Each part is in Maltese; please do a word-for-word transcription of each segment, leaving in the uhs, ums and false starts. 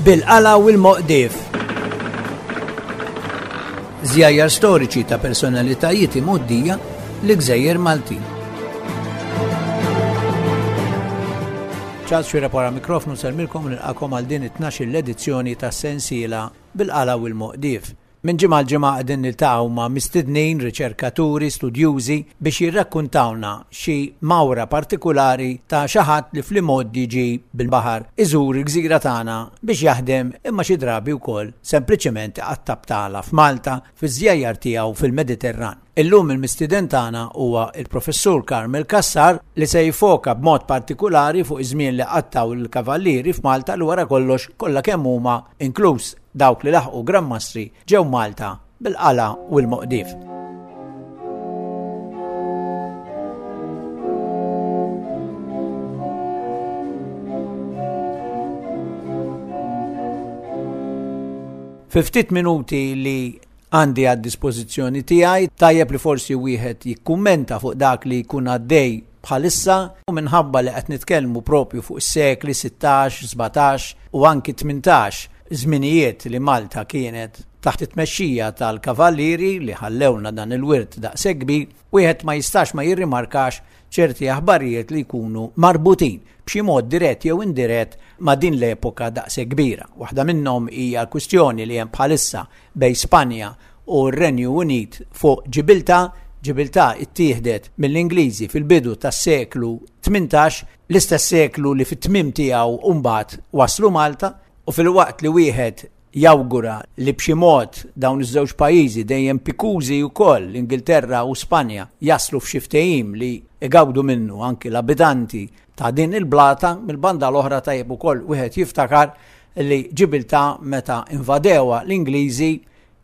Bil-qala u l-moqdif. Żjajjar storiċi ta' personalitajiet imgħoddija li gżejjer Maltin. Charles Xuereb wara mikrofnu nsellmilkom u nilqagħkom għal din it-tnax-il edizzjoni ta' sensiela Bil-qala u l-moqdif. Minn ġimgħa l-ġimgħa qegħdin niltaqgħu ma' mistednin, riċerkaturi, studjużi biex jirrakkuntawna xi mawra partikulari ta' xi ħadd li fl-imgħoddi ġie bil-baħar iżur il-gżira tagħna biex jaħdem, imma xi drabi wkoll sempliċement iqatta' btala f'Malta fiż-żjajjar tiegħu fil-Mediterran. Illum il-mistieden tagħna huwa il-Professur Carmel Cassar, li se jfoka b'mod partikulari fuq iż-żmien li qattaw il-kavallieri f'Malta, li wara kollox kollha kemm huma, inkluż dawk li laħqu Gran Mastri, ġew Malta bil-qala u l-moqdif. Fi ftit minuti li għandi għad dispożizzjoni tiegħi, tajjeb li forsi wieħed jikkummenta fuq dak li jkun għaddej bħalissa, u minħabba li qed nitkellmu propju fuq is-sekli sittax, sbatax u anki tmintax, żminijiet li Malta kienet taħt it-tmexxija tal-kavallieri li ħallewna dan il-wirt daqshekk kbir, wieħed ma jistax ma jirrimarkax ċerti aħbarijiet li jkunu marbutin b'xi mod dirett jew indirett ma' din l-epoka daqshekk kbira. Waħda minnhom hija l-kwistjoni li hemm bħalissa bejn Spanja u r-Renju Unit fuq Ġibiltà. Ġibiltà ittieħdet mill-Ingliżi fil-bidu tas-seklu tmintax, l-istess seklu li fit-tmiem tiegħu mbagħad waslu Malta, u filwaqt li wieħed jawgura li b'xi mod dawn iż-żewġ pajjiżi dejjem pikużi wkoll, l-Ingilterra u Spanja, jaslu f'xi ftehim li igawdu minnu anki l-abitanti ta' din il-blata, mill-banda l-oħra tajjeb ukoll wieħed jiftakar li Ġibiltà meta invadewha l-Ingliżi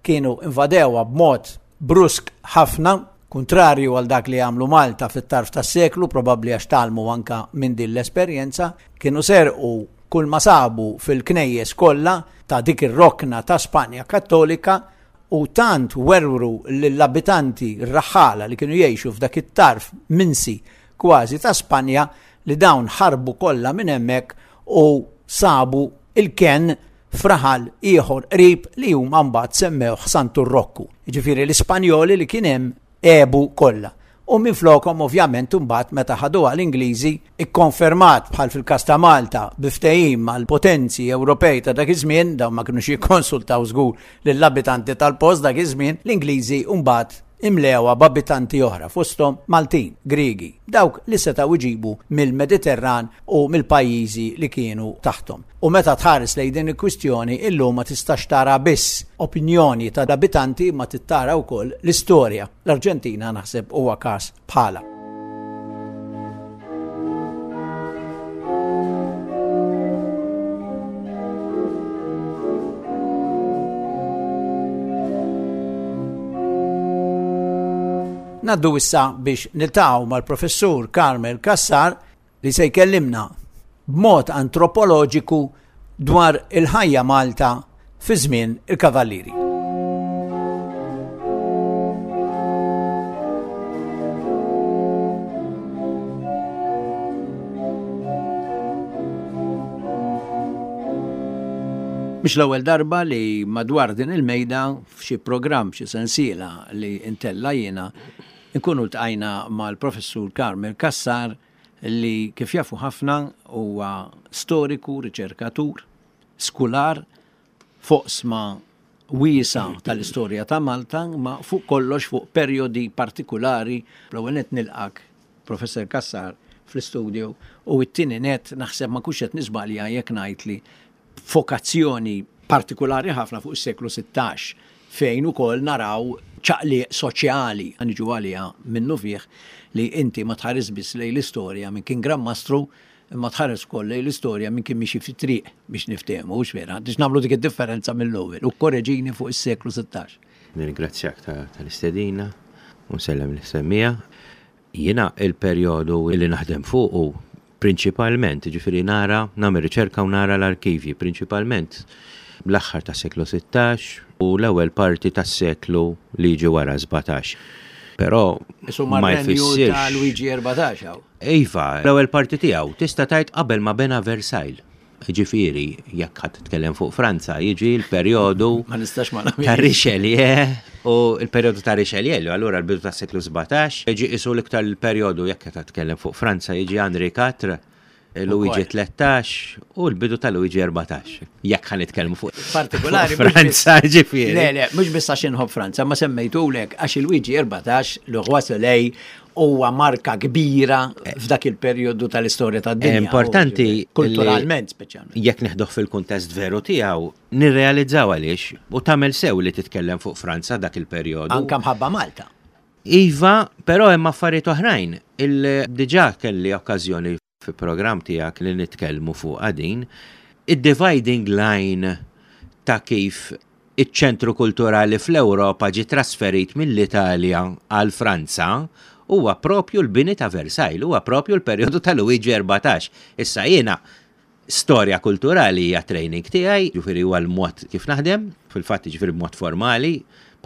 kienu invadewha b'mod brusk ħafna, kontrarju għal dak li għamlu Malta fit-tarf tas-seklu, probabbli għax tgħallmu anka minn din l-esperjenza. Kienu serqu kull ma sabu fil-knejjes kollha ta' dik ir-rokna ta' Spanja Kattolika, u tant werwru lill-abitanti r-raħħala li kienu jgħixu f'dak it-tarf minsi kważi ta' Spanja li dawn ħarbu kollha minn hemmhekk u sabu il-ken fraħal ieħor qrib li huma mbagħad semmewh Santu Rokku. Jiġifieri l-Ispanjoli li kien hemm għebu kollha. U minflokhom ovvjament imbagħad meta ħaduha l-Ingliżi, ikkonfermat bħal fil-każ ta' Malta bi ftehim mal-potenzi Ewropej ta' dak iż-żmien, dawn ma kinux jikkonsultaw żgur lill-abitanti tal-post dak iż-żmien, l-Ingliżi mbagħad imlewha b'abitanti oħra, fosthom Maltin, Griegi, dawk li setgħu jġibu mill-Mediterran u mill-pajjiżi li kienu taħthom. U meta tħares lejn din il-kwistjoni illum ma tistax tara biss opinjoni ta' abitanti, ma tittara wkoll l-istorja. L-Arġentina naħseb huwa każ bħala. Naddu issa biex niltaqgħu mal-Professur Carmel Cassar li se jkellimna b'mod antropoloġiku dwar il-ħajja Malta fi żmien il-Kavallieri. Mhix l-ewwel darba li madwar din il-mejda f'xi programm, xi sensiela li ntella' jiena, nkunu ltqajna mal-Professur Carmel Cassar li kif jafu ħafna huwa storiku, riċerkatur, skular, foqsma wiesa tal-istorja ta' Malta, ma fuq kollox fuq perjodi partikulari. L-ewwel nett nilqak, Professor Cassar, fl-istudio, u t-tieni nett naħseb ma kux qed niżbalja jekk ngħid li fokazzjoni partikulari ħafna fuq is-seklu sittax, fejn ukoll naraw ċaqliq soċjali, niġu għaliha minnu fih li inti ma tħares biss lejn l-istorja minn kien Gran Mastru, imma tħares ukoll lejn l-istorja minn kien miexi fit-triq biex niftehmu, hux vera, biex nagħmlu dik id-differenza mill-ewwel, u korreġini fuq is-seklu sittax. Nirringrazzjak ta', tal-istedina u nsellem l-semmija. Jiena il-perjodu li naħdem fuqu prinċipalment, ġifieri nara, nagħmel riċerka u nara l-arkivji, prinċipalment l-aħħar tas-seklu sittax u l-ewwel parti tas-seklu li jiġi wara sbatax. Però Insomma, ma r-renju jfissirx ta' Luigi erbatax hawn. Iva, l-ewwel parti tiegħu tista' tgħid qabel ma bena Versailles. Ġifieri, jekk ħadd titkellem fuq Franza, jiġi l-perjodu Ma nistax ma ta' Richelieu u l-perjodu ta' Richelieu, allura l-bidu tas seklu sbatax, jiġi isu l-iktar l-perjodu jekk qed titkellem fuq Franza, jiġi Henri quattro, Luigi tlettax u l-bidu ta' Luigi erbatax. Jekk ħa nitkellmu fuq partikolari Franza, ġifieri. Le, le, mhux biss għax inħobb Franza, ma semmejtulek għax il-Luigi erbatax, Le Roi Soleil, huwa marka kbira f'dak il-perjodu tal-istorja tad-dinja. Importanti kulturalment speċjalment. Jekk neħduh fil-kuntest veru tiegħu, nirrealizzaw għaliex u tagħmel sew li titkellem fuq Franza dak il-perjodu. Anka mħabba Malta. Iva, però hemm affarijiet oħrajn. Il-diġà kelli okkażjoni fi programm tiegħek li nitkellmu fuq din, id-dividing line ta' kif iċ-ċentru kulturali fl-Ewropa ġi trasferit mill-Italja għal Franza huwa propju l-bini ta' Versailles, huwa propju l-perjodu ta' Luigi erbatax. Issa jiena storja kulturali hija training tiegħi, ġifieri huwa l-mod kif naħdem, fil-fatt ġifieri b'mod formali,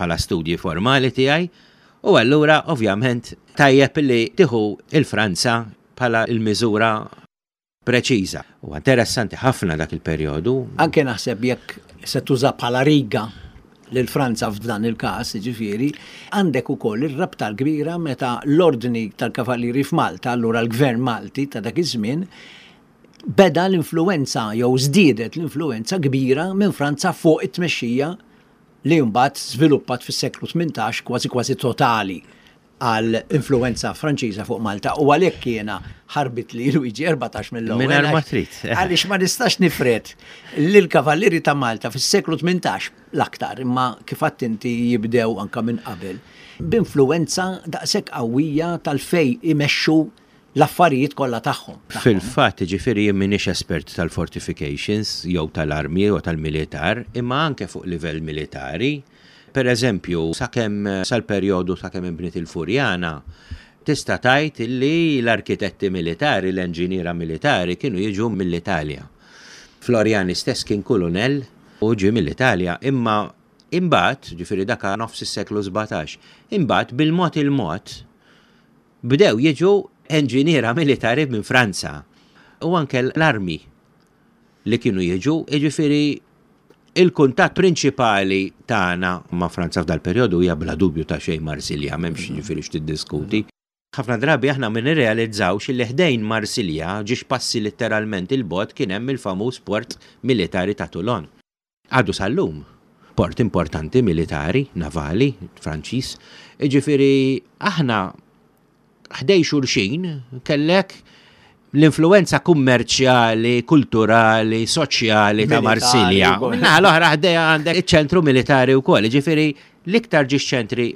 bħala studji formali tiegħi, u allura ovvjament tajjeb li tieħu il-Franza bħala il-miżura preċiża. U interessanti ħafna dak il-perjodu. Anke naħseb jekk se tuża bħala riga lil Franza f'dan il-każ, ġifieri, għandek ukoll ir-rabta l-kbira meta l-ordni tal-Kavallieri f'Malta, allura l-Gvern Malti ta' dak iż-żmien, beda l-influenza jew żdiedet l-influenza kbira minn Franza fuq it-tmexxija li mbagħad żviluppat fis-seklu tmintax kważi kważi totali għal influenza Franċiża fuq Malta, u għalhekk jiena ħarbit li Luigi erbatax mill-ewwel. Mingħajr ma trid. Għaliex ma nistax nifred lil Kavallieri ta' Malta fis-seklu tmintax l-aktar, imma kif għedt inti jibdew anka minn qabel, b'influenza daqshekk qawwija tal-fej imexxu l-affarijiet kollha tagħhom. Fil-fatt, ġifieri jien m'iniex espert tal-fortifications jew tal-armi jew tal-militar, imma anke fuq livell militari. Per eżempju, sakemm sal-perjodu sakemm inbniet il-Furjana, tista' tgħid illi l-arkitetti militari, l-enġiniera militari kienu jiġu mill-Italja. Floriani stess kien kulunell u ġie mill-Italja, imma imbagħad, ġifieri dak nofs is-seklu sbatax, imbagħad bil-mod il-mod bdew jiġu enġiniera militari minn Franza u anke l-armi li kienu jiġu, jiġifieri il-kuntatt prinċipali tagħna ma' Franza f'dal perjodu hija bla dubju ta' xejn Marsilja, m'hemmx ġifieri x'tiddiskuti. Ħafna drabi aħna ma nirrealizzawx li ħdejn Marsilja ġiex passi letteralment il-bot kien hemm il-famuż port militari ta' Toulon. Għadu sal-lum, port importanti militari, navali, Franċiż. Jiġifieri aħna ħdej xulxin kellek l-influenza kummerċjali, kulturali, soċjali ta' Militari Marsilja. wkoll. Minnaħa l-oħra ħdejha għandek iċ-ċentru militari wkoll. Jiġifieri l-iktar ġiex ċentri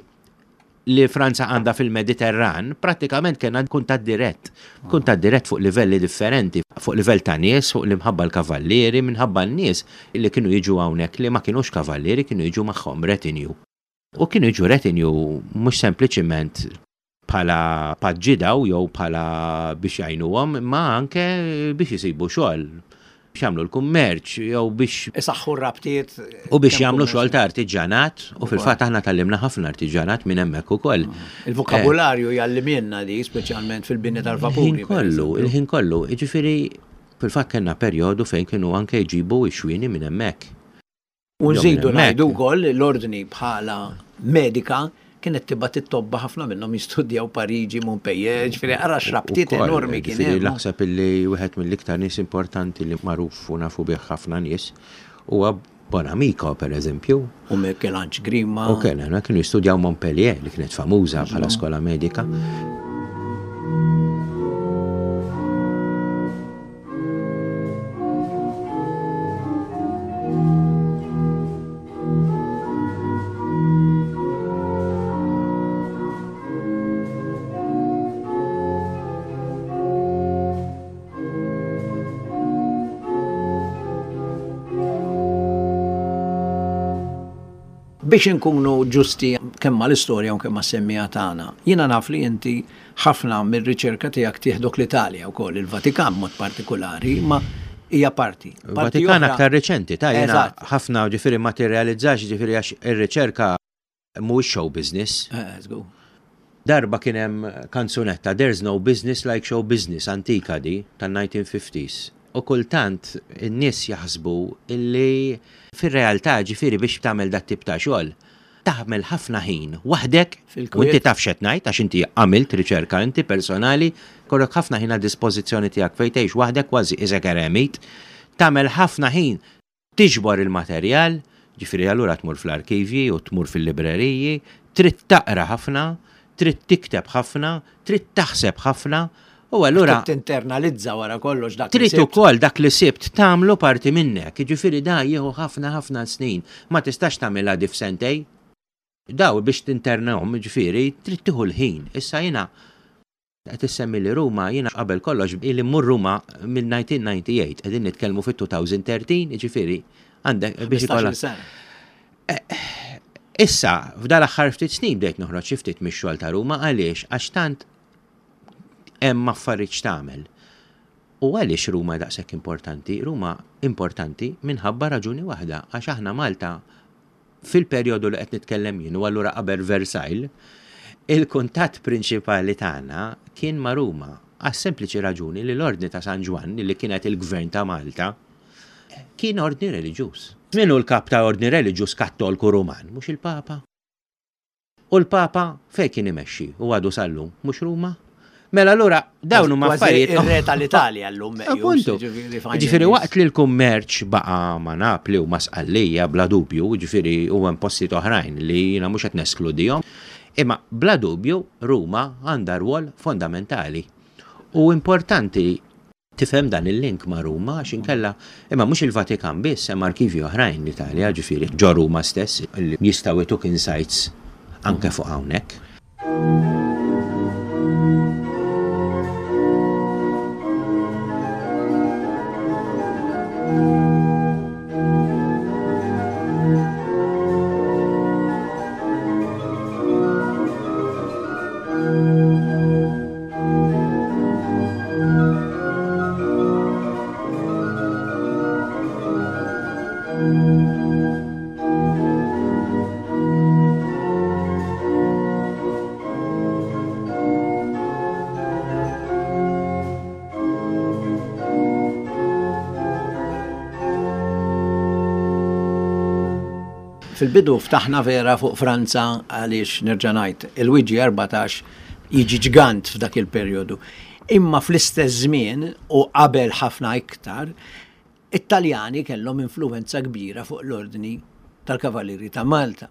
li Franza għandha fil-Mediterran, prattikament kien kuntatt dirett. Kuntatt dirett fuq livelli differenti, fuq livell ta' nies, fuq l-imħabba l-kavallieri, minħabba n-nies li kienu jiġu hawnhekk li ma kienux kavallieri, kienu jiġu magħhom retinue. U kienu jiġu retinue mhux sempliċiment bħala paġġidaw jew bħala biex jgħinuhom, imma anke biex jisibu xogħol, biex jagħmlu l-kummerċ jew biex isaħħu r-rabtiet U biex kemm jagħmlu kummerċ. xogħol ta' artiġanat, u fil-fatt aħna tallimna ħafna artiġanat minn hemmhekk ukoll. Il-vokabularju jallimilna di, speċjalment fil-bini tal-vapuri, Il-ħin kollu, per eżempju. il-ħin kollu, jiġifieri fil-fatt kellna perjodu fejn kienu anke jġibu x-xwieni minn hemmhekk. U nżidu Jew minn hemmhekk. ngħidu wkoll l-ordni bħala medika kienet tibgħat it-tobba ħafna minnhom jistudjaw Pariġi, Montpellier, ġifieri ara x'rabtiet Ukoll, enormi kien ġifieri hemm. Naħseb illi wieħed mill-iktar nies importanti li magħruf u nafu bih ħafna nies huwa Bonamico, per eżempju. U Michelange Grima. U kien, kienu jistudjaw Montpellier, li kienet famuża bħala skola medika. Biex inkunu ġusti kemm mal-istorja u kemm mas-semmija tagħna, jiena naf li inti ħafna mir-riċerka tiegħek tieħdok l-Italja wkoll, il-Vatikan mod partikolari, ma hija parti. Parti Vatikan oħra aktar reċenti, ta' jiena Eżatt. ħafna ġifieri ma tirrealizzax ġifieri għax ir-riċerka mhuwiex show business. Eh, żgur. Darba kien hemm kanzunetta There's no business like show business, antika di, tan-nineteen fifties. U kultant in-nies jaħsbu illi fir-realtà, ġifieri, biex tagħmel dat tip ta' xogħol, taħmel ħafna ħin waħdek u inti taf x'qed ngħid għax inti għamilt riċerka inti personali, kollok ħafna ħin għad dispożizzjoni tiegħek fejn tgħix waħdek kważi isek eremit, tagħmel ħafna ħin tiġbor il-materjal, ġifieri allura tmur fl-arkivji u tmur fil-libreriji, trid taqra ħafna, trid tikteb ħafna, trid taħseb ħafna. U allura tinternalizza wara kollox dak. Trid ukoll dak li sibt tagħmlu parti minnek, jiġifieri da jieħu ħafna ħafna snin. Ma tistax tagħmilha di f'sentej. Daw biex tinternahom, ġifieri trid tieħu l-ħin. Issa jiena qed issemmi li Ruma, jiena qabel kollox ili mmur Ruma mill-elf disa' mija u disgħa u disgħin, qegħdin nitkellmu fit-elfejn u tlettax, jiġifieri għandek biex ikollha. Issa, f'dal aħħar ftit snin bdejt noħroġ xi ftit mix-xogħol ta' Ruma. Għaliex? Għax tant hemm affarijiet x'tagħmel. U għaliex Ruma daqshekk importanti? Ruma importanti minħabba raġuni waħda, għax aħna Malta fil-perjodu li qed nitkellem jien, u allura qabel Versailles, il-kuntatt prinċipali tagħna kien ma' Ruma, għas sempliċi raġuni li l-Ordni ta' San Ġwann, li kienet il-Gvern ta' Malta, kien ordni reliġjuż. Min hu l-kap ta' ordni reliġjuż Kattolku Ruman? Mhux il-Papa? U l-Papa fejn kien imexxi u għadu sal-lum, mhux Ruma? Mela allura dawn huma affarijiet. Ir-re tal-Italja llum. Appuntu. Ġifieri waqt li l-kummerċ baqa' ma' Napli u ma' Sqallija bla dubju, ġifieri u hemm postijiet oħrajn li jiena mhux qed neskludihom, imma bla dubju Ruma għandha rwol fondamentali. U importanti tifhem dan il-link ma' Ruma għax inkella, imma mhux il-Vatikan biss, hemm arkivji oħrajn l-Italja, ġifieri ġo Ruma stess, li jistgħu jtuk insights anke fuq hawnhekk. Fil-bidu ftaħna vera fuq Franza għaliex nerġa' ngħid il-Luigi erbatax jiġi ġgant f'dak il-perjodu. Imma fl-istess żmien u qabel ħafna iktar, it-Taljani kellhom influenza kbira fuq l-ordni tal-Kavallieri ta' Malta.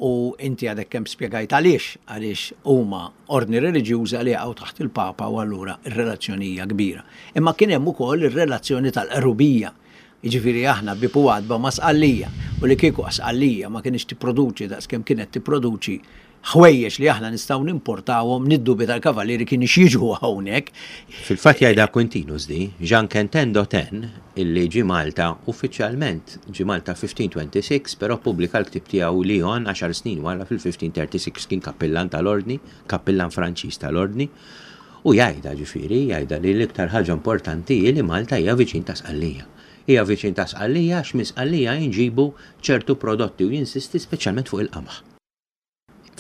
U inti għadek kemm spjegajt għaliex, għaliex huma ordni reliġjuża li jaqgħu taħt il-Papa u allura ir-relazzjoni hija kbira. Imma kien hemm ukoll ir-relazzjoni tal-qrubija. Jiġifieri aħna bieb u għatba ma' Sqallija, u li kieku Sqallija ma kienx tipproduċi daqs kemm kienet tipproduċi ħwejjeġ li aħna nistgħu nimportawhom, niddubi tal-Kavallieri kien jiġu hawnhekk. Fil-fatt jgħidha Quintinus di, Jean Quentin d'Autun, illi ġi Malta uffiċjalment ġi Malta elf ħames mija u sitta u għoxrin, però pubblika l-ktib tiegħu Lyon għaxar snin wara fil-elf ħames mija u tlieta u tletin, kien kappillan tal-ordni, kappillan Franċiż tal-ordni, u jgħidha, ġifieri, jgħidha li l-iktar ħaġa importanti hi li Malta hija viċin ta' Sqallija. Hija viċin ta' Sqallija għax minn Sqallija jinġibu ċertu prodotti, u jinsisti speċjalment fuq il-qamħ.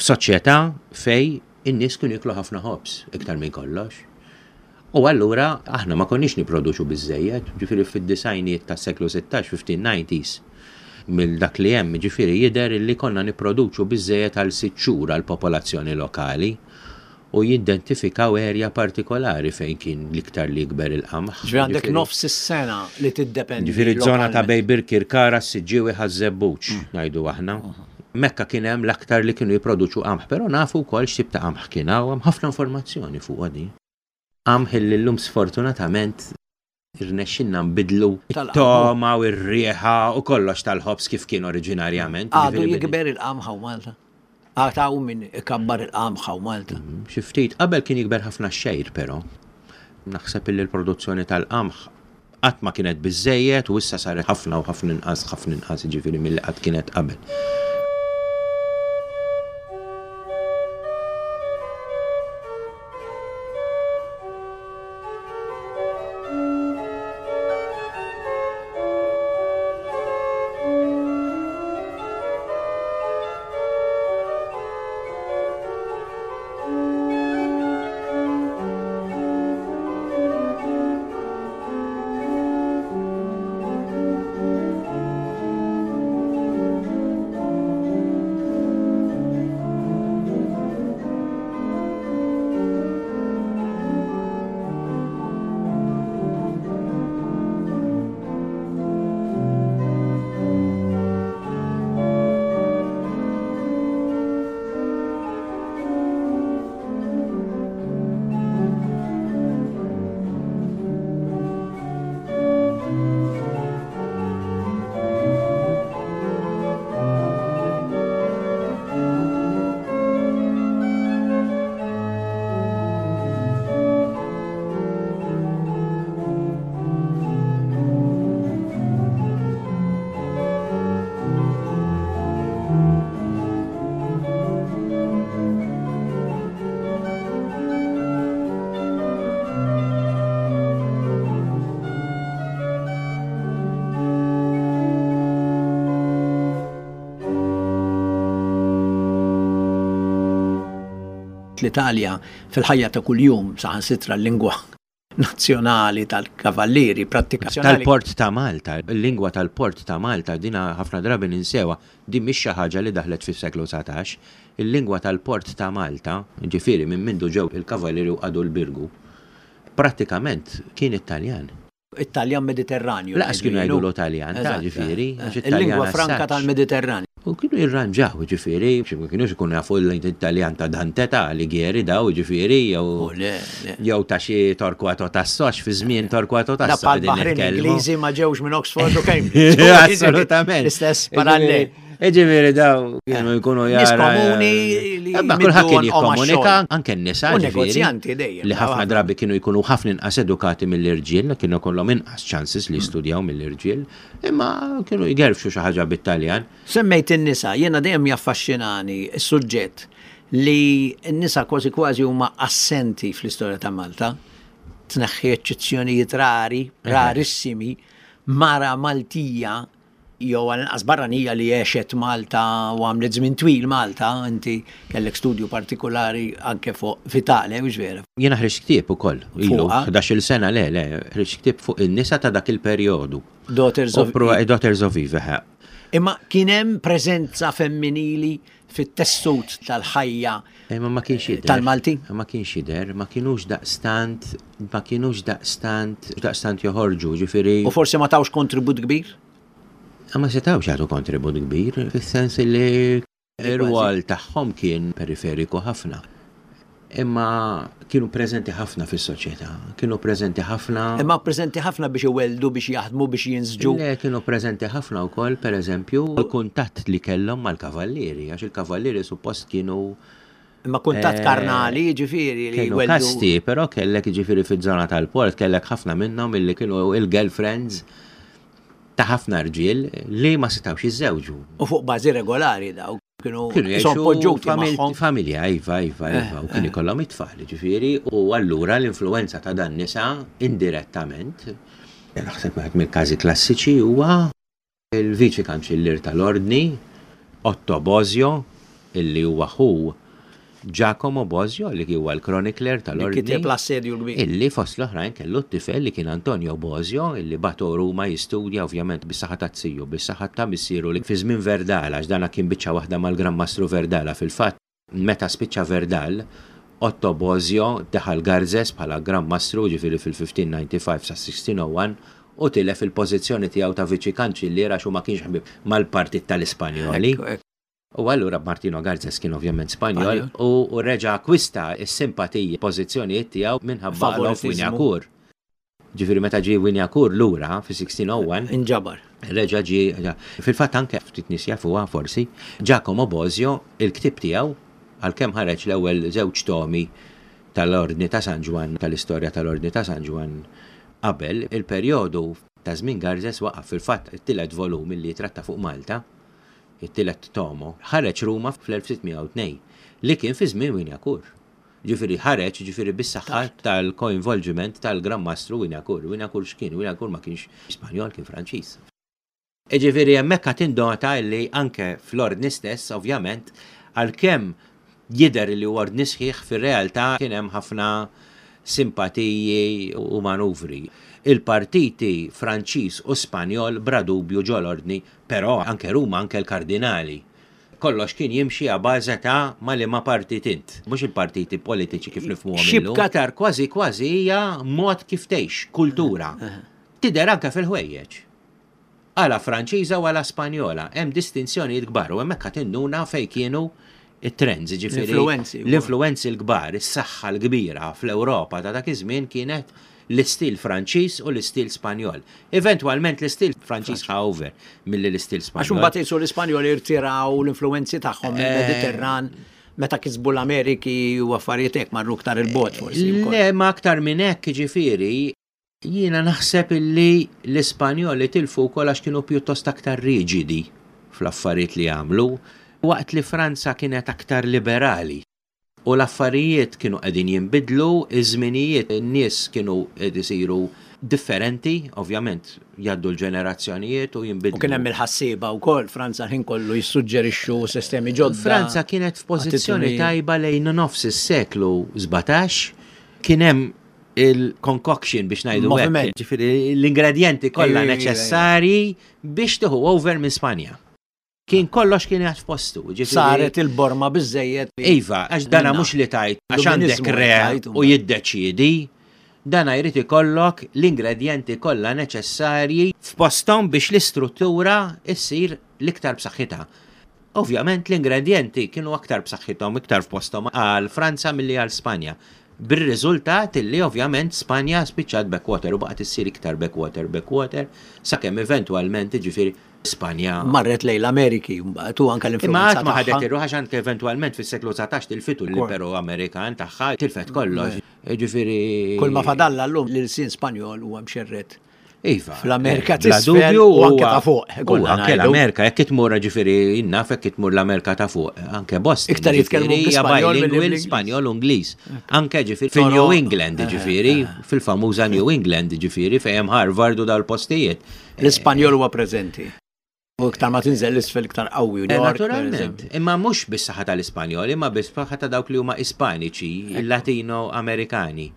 F'soċjetà fej in-nies kienu jiklu ħafna ħobż iktar minn kollox. U allura aħna ma konniex nipproduċu biżejjed, ġifieri fid-disgħinijiet tas-seklu sittax, fifteen nineties, mill dak li hemm, ġifieri jidher li konna nipproduċu biżejjed għal sitt xhur għal popolazzjoni lokali u jidentifikaw erja partikolari fejn kien l-iktar li jikber il-qamħ. Ġifieri għandek nofs is-sena li tiddependi. Ġifieri żona ta' bejn Birkirkara, Siġġiewi, Ħaż-Żebbuġ, ngħidu aħna. Mekka kien hemm l-aktar li kienu jipproduċu qamħ, però nafu wkoll x'tip ta' qamħ kien hawn, hemm ħafna informazzjoni fuq di. Qamħ li llum sfortunatament irnexxinna nbidlu it-togħma u r-riħa u kollox tal-ħobż kif kien oriġinarjament. Għadu jikber il-qamħ hawn Malta. Għad hawn min ikabbar il-qamħ hawn Malta. Mm, xi ftit, qabel kien jikber ħafna xgħir, però. Naħseb li l-produzzjoni tal-qamħ qatt ma kienet biżejjed u issa saret ħafna u ħafna inqas, ħafna inqas ġifieri milli qatt kienet qabel. L-Italja fil-ħajja ta' kuljum, saħansitra l-lingwa nazzjonali tal-kavallieri, prattika Tal-Port ta' Malta, il-lingwa tal-Port ta' Malta, dina ħafna drabi ninsewha, din mhix xi ħaġa li daħlet fis-seklu dsatax. Il-lingwa tal-Port ta' Malta, ġifieri minn mindu ġew il-kavallieri u qagħdu l-Birgu, prattikament kien Italjan. Italjan Mediterranju. Lanqas kienu jgħidu l-Italjan, ta' ġifieri. Il-lingwa franka tal-Mediterranju. U kienu jirranġaw, ġifieri, ma kienux ikunu jafu l-Italjan ta' Dante, ta' Alighieri daw, ġifieri, jew jew ta' xi Torquato Tasso, għax fi żmien Torquato Tasso. Da bħal Ingliżi ma ġewx minn Oxford u Cambridge. Assolutament. L-istess parallel. Ġifieri daw kienu jkunu jara. Nies komuni li. Ma kulħadd kien jikkomunika, anke n-nisa. U negozjanti dejjem. Li ħafna drabi kienu jkunu ħafna inqas edukati mill-irġiel, kienu kollhom inqas chances li jistudjaw mill-irġiel, imma kienu jgerfxu xi ħaġa bit-Taljan. Semmejt in-nisa, jiena dejjem jaffaxxinani s-suġġett li n-nisa kważi kważi huma assenti fl-istorja ta' Malta. Tneħħi eċċezzjonijiet rari, rarissimi, mara Maltija jew għal barranija li għexet Malta u għamlet żmien twil Malta, inti kellek studju partikolari anke fuq Vitale, u vera? Jiena ħriġt ktieb ukoll, ilu ħdax-il sena, le, le, ħriġt ktieb fuq in-nisa ta' dak il-perjodu. Daughters of Eve. Daughters of Eve, eħe. Imma kien hemm preżenza femminili fit-tessut tal-ħajja Imma ma kienx jidher. tal-Malti? Ma kienx jidher, ma kienux daqstant, ma kienux daqstant, daqstant joħorġu, ġifieri. U forsi ma tawx kontribut kbir? Ma setawx jagħtu kontribut kbir, fis-sens li ir-rwol tagħhom kien periferiku ħafna. Imma kienu preżenti ħafna fis-soċjetà, kienu preżenti ħafna. Imma preżenti ħafna biex iweldu, biex jaħdmu, biex jinsġu. Le, kienu preżenti ħafna wkoll, pereżempju, il-kuntatt li kellhom mal-kavallieri, għax il-kavallieri suppost kienu Imma kuntatt karnali, ġifieri li kienu kasti, però kellek ġifieri fiż-żona tal-port, kellek ħafna minnhom illi kienu il-girlfriends ta' ħafna rġiel li ma setawx jiżżewġu. U fuq bażi regolari daw kienu jgħixu magħhom. Familja, iva, iva, iva, u kien ikollhom it-tfal, ġifieri, u allura l-influenza ta' dan nisa indirettament. Naħseb wieħed mill-każi klassiċi huwa il-viċi kanċillier tal-Ordni, Otto Bosio, illi huwa ħu Giacomo Bosio, li huwa l-chronicler tal-Ordni. Kiteb l-assedju l-kbir. Illi fost l-oħrajn kellu t-tifel li kien Antonio Bosio, illi bagħtu Ruma jistudja ovvjament bis-saħħa ta' ziju, bis-saħħa ta' missieru li fi żmien Verdala, għax dana kien biċċa waħda mal-Gran Mastru Verdala. Fil-fatt, meta spiċċa Verdal, Otto Bosio daħal Garzes bħala Gran Mastru, ġifieri fil-fifteen ninety-five sa sixteen oh one, u tilef il-pożizzjoni tiegħu ta' viċi kanċillier għax hu ma kienx ħabib mal-partit tal-Ispanjoli. U allura Martino Garzes kien ovvjament Spanjol u, u reġa' akkwista s-simpatiji pożizzjonijiet tiegħu minħabba Alof Wignacourt. Ġifieri meta ġie Wignacourt lura fi sixteen oh one Inġabar. Reġa' ġie, fil-fatt anke ftit nies jafuha forsi, Giacomo Bosio, il-ktieb tiegħu, għalkemm ħareġ l-ewwel żewġ tomi tal-Ordni ta' San Ġwann, tal-istorja tal-Ordni ta' San Ġwann qabel, il-perjodu ta' żmien Garzes waqaf. Fil-fatt it-tielet volum li tratta fuq Malta, it-tielet tomo, ħareġ Ruma fl-elf sitt mija u tnejn, li kien fi żmien Wignacourt. Ġifieri ħareġ, ġifieri bis-saħħa tal-coinvolgiment tal-Gran Mastru Wignacourt. Wignacourt x'kien? Wignacourt ma kienx Spanjol, kien Franċiż. Ġifieri hemmhekk qed tindota li anke fl-ordni stess, ovvjament, għalkemm jidher li huwa ordni sħiħ, fir-realtà kien hemm ħafna simpatiji u manuvri. Il-partiti Franċiż u Spanjol bla dubju ġol-ordni, però anke Ruma, anke l-kardinali. Kollox kien jimxi a bażi ta' ma' liema partit int, mhux il-partiti politiċi kif nifhmuhom illum. Xibka tar kważi kważi hija mod kif tgħix, kultura. Tidher anke fil-ħwejjeġ. Għala Franċiża u għala Spanjola, hemm distinzjonijiet kbar u hemmhekk qed tinduna fejn kienu it-trends, ġifieri L-influenzi. l-influenzi l-kbar, is-saħħa l-kbira fl-Ewropa ta' dak iż-żmien kienet l-istil Franċiż u l-istil Spanjol. Eventwalment l-istil Franċiż ħa over milli l-istil Spanjol. Għax imbagħad qisu l-Ispanjoli irtiraw l-influenzi tagħhom mill-Mediterran meta kisbu l-Ameriki u affarijiet hekk marru aktar il-bogħod forsi wkoll. Le, ma aktar minn hekk, ġifieri, jiena naħseb illi l-Ispanjoli tilfu wkoll għax kienu pjuttost aktar riġidi fl-affarijiet li għamlu, waqt li Franza kienet aktar liberali. U l-affarijiet kienu qegħdin jinbidlu, iż-żminijiet in-nies kienu qed isiru Differenti, ovvjament, jgħaddu l-ġenerazzjonijiet u jinbidlu. U kien hemm il-ħassieba wkoll, Franza ħin kollu jissuġġerixxu sistemi ġodda. Franza kienet f'pożizzjoni tajba lejn nofs is-seklu sbatax, kien hemm il-concoction biex ngħidu hekk, ġifieri l-ingredjenti kollha neċessarji biex tieħu over minn Spanja. Kien kollox kien jgħat f'postu. Saret il-borma biżejjed. Iva, għax dana mhux li tajt, għax għandek re u jiddeċiedi, dana jrid ikollok l-ingredjenti kollha neċessarji f'posthom biex l-istruttura issir l-iktar b'saħħitha. Ovvjament l-ingredjenti kienu aktar b'saħħithom, iktar f'posthom għal Franza milli għal Spanja. Bir-riżultat li ovvjament Spanja spiċċat backwater u baqgħet issir iktar backwater, backwater, sakemm eventwalment ġifieri Spanja marret lejn l-Ameriki mbagħad u anke l-influenza. Imma qatt ma ħadet irruħ għax anke eventwalment fis-seklu dsatax tilfitu l-Imperu Amerikan tagħha, tilfet kollox. Ġifieri Kull ma fadalla llum l-ilsien Spanjol huwa mxerred. Iva. Fl-Amerika t'isfel u anke ta' fuq. U anke l-Amerika, jekk itmur ġifieri jinnaf jekk itmur l-Amerika ta' fuq, anke Boston. Iktar jitkellmu bl-Ispanjol bilingual, Spanjol u Ingliż. Anke ġifieri fil-New England ġifieri, fil-famuża New England ġifieri fejn hemm Harvard u dal-postijiet. L-Ispanjol huwa preżenti. U iktar ma tinżel l-isfel iktar qawwi. Naturalment. Imma mhux bis-saħħa tal-Ispanjol, imma bis-saħħa ta' dawk li huma Ispaniċi, il-Latino-Amerikani.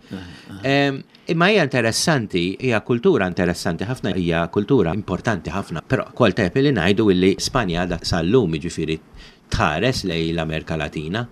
Imma hija interessanti, hija kultura interessanti ħafna, hija kultura importanti ħafna. Però kol tajb li ngħidu illi Spanja għadha sal-lum jiġifieri tħares lejn l-Amerika Latina.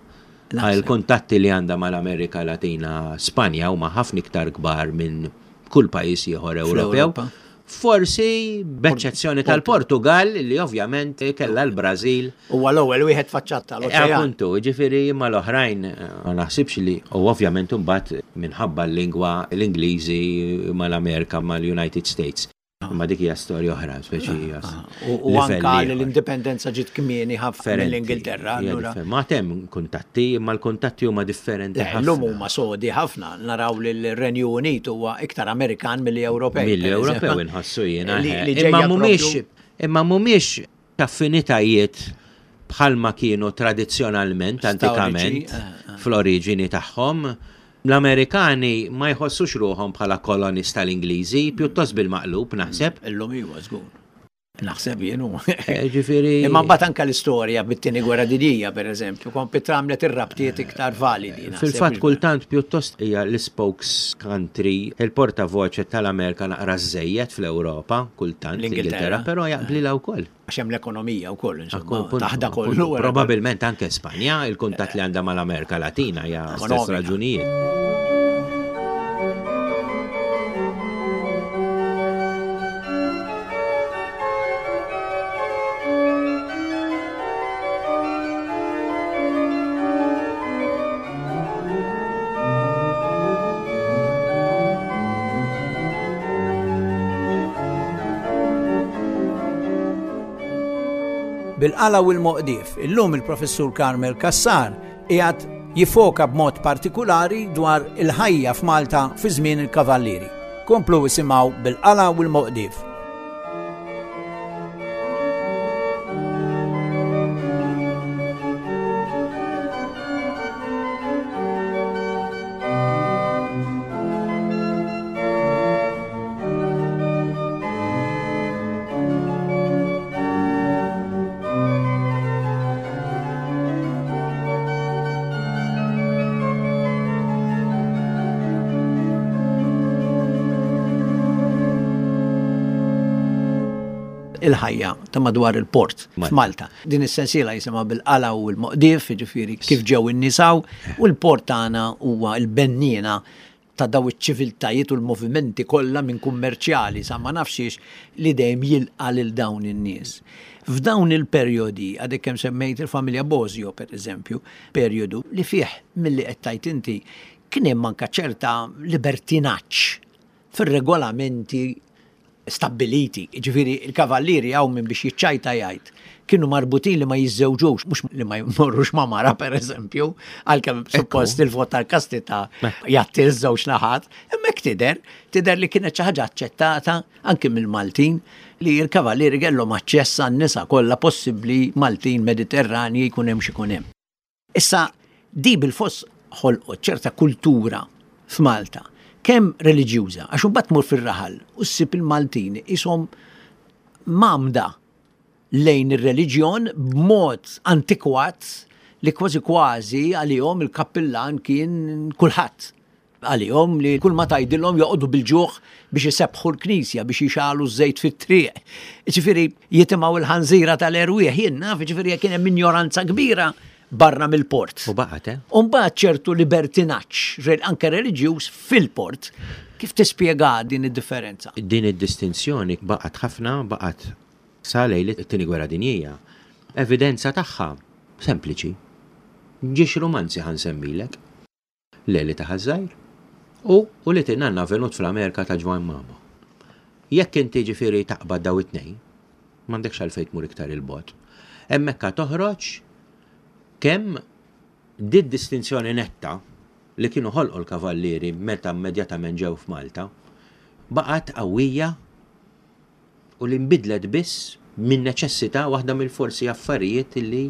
Il-kuntatti li għandha mal-Amerika Latina Spanja huma ħafna iktar kbar minn kull pajjiż ieħor Ewropew. Forsi b'eċċezzjoni tal-Portugal li ovvjament kellha l-Brażil. Huwa l-ewwel wieħed faċċatta l-oċean. Appuntu, ġifieri imma l-oħrajn ma naħsibx li u ovvjament imbagħad minħabba l-lingwa l-Ingliżi mal-Amerika mal-United States. Ma dik hija storja oħra, speċi hija. U anka l-indipendenza ġiet kmieni ħafna mill-Ingilterra. Ma hemm kuntatti, imma l-kuntatti huma differenti ħafna. Llum huma sodi ħafna, naraw li l-Renju Unit huwa iktar Amerikan milli Ewropej. Milli Ewropew inħossu jiena. Imma mhumiex imma mhumiex affinitajiet bħalma kienu tradizzjonalment, antikament, fl-oriġini tagħhom. L-Amerikani ma jħossux ruħhom bħala kolonist tal-Ingliżi, pjuttost bil-maqlub naħseb. Illum iwa żgur. Naħseb jien hu. Ġifieri. Imma mbagħad anke l-istorja bit-tieni gwerra dinjija pereżempju, kompli tramlet ir-rabtiet iktar validi. Fil-fatt kultant pjuttost hija l-spokes country, il-portavoċe tal-Amerika naqra żejjed fl-Ewropa, kultant l-Ingilterra, però jaqblilha wkoll. Għax hemm l-ekonomija wkoll, insomma, taħda kollu. Probabilment anke Spanja, il-kuntatt li għandha mal-Amerika Latina hija stess raġunijiet. Bil-qala u l-moqdif, illum il-professur Carmel Cassar qiegħed jifoka b'mod partikulari dwar il-ħajja f'Malta fi żmien il-Kavallieri. Komplu isimgħu bil-qala u l-moqdif. Il-ħajja ta' madwar il-port f'Malta. Din is-sensiela jisimha bil-qala u l-moqdif, jiġifieri kif ġew in-nisaw, u l-port tagħna huwa l-benniena ta' daw iċ-ċiviltajiet u l-movimenti kollha minn kummerċjali sa ma nafx li dejjem jilqa' lil dawn in-nies. F'dawn il-perjodi, għadek kemm semmejt il-familja Bosio pereżempju, perjodu li fih milli qed tgħid inti kien hemm anke ċerta libertinaġġ fir-regolamenti stabbiliti, ġifieri il-kavallieri hawn minn biex jiċċajta jgħid, kienu marbutin li ma jiżżewġux, mhux li ma jmorrux ma' mara pereżempju, għalkemm suppost il-vot tal-kastità jagħti ż-żewġ naħat, imma hekk tidher, tidher li kienet xi ħaġa aċċettata anke mill-Maltin li l-kavallieri kellhom aċċess għan-nisa kollha possibbli Maltin Mediterranji jkun hemm x'ikun hemm. Issa di bil-foss ħolqot ċerta kultura f'Malta Kemm reliġjuża, għax imbagħad tmur fir-raħal u ssib il-Maltin ishom mamda lejn ir-reliġjon b'mod antikwat li kważi kważi għalihom il-kappillan kien kulħadd. Għalihom li kull ma tgħidilhom joqogħdu bil-ġuħ biex isebbħu l-knisja, biex jixegħlu ż-żejt fit-triq. Ġifieri jitimgħu l-ħanżira tal-erwieħ, jien naf, ġifieri kien hemm ignoranza kbira barra mill-port. U baqgħet, eh? U mbagħad ċertu libertinaġġ, anke reliġjuż fil-port. Kif tispjega din id-differenza? Din id-distinzjoni baqgħet ħafna, baqgħet sa lejl it-tieni gwerra dinjija. Evidenza tagħha sempliċi. Żewġ rumanzi ħa nsemmilek. Leli ta' Ħaż-Żgħir u u li in-nanna avvenut fl-Amerika ta' Ġwann Mamo. Jekk inti ġifieri taqbad daw it-tnejn, m'għandekx għalfejn tmur iktar il-bogħod. Hemmhekk toħroġ kemm di distinzjoni netta li kienu ħolqu l-kavallieri meta immedjatament ġew f'Malta, baqgħet qawwija u li nbidlet biss minn neċessità, waħda mill-forsi affarijiet li